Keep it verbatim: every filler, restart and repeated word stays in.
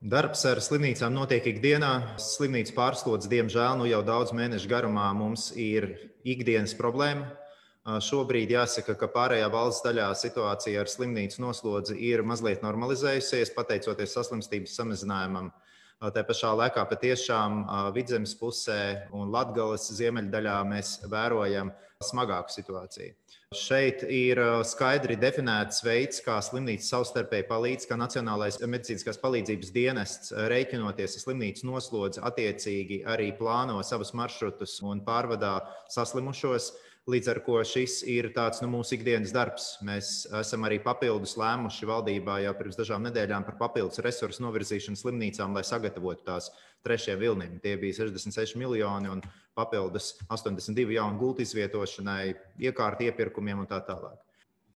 Darbs ar slimnīcām notiek ikdienā. Slimnīcu pārslodze, diemžēl, nu jau daudz mēnešu garumā mums ir ikdienas problēma. Šobrīd jāsaka, ka pārējā valsts daļā situācija ar slimnīcu noslodzi ir mazliet normalizējusies, pateicoties saslimstības samazinājumam. Tā pašā laikā patiešām Vidzemes pusē un Latgales ziemeļdaļā mēs vērojam smagāku situāciju. Šeit ir skaidri definēts veids, kā slimnīca savstarpēji palīdz, kā Nacionālais medicīniskās palīdzības dienests, rēķinoties ar slimnīcu noslodzi, attiecīgi arī plāno savus maršrutus un pārvadā saslimušos. Līdz ar to šis ir tāds nu, mūsu ikdienas darbs. Mēs esam arī papildus lēmuši valdībā jau pirms dažām nedēļām par papildus resursu novirzīšanu slimnīcām, lai sagatavotu tās trešajam vilnim. Tie bija sešdesmit seši miljoni un papildus astoņdesmit divi jaunu gultu izvietošanai, iekārtu iepirkumiem un tā tālāk.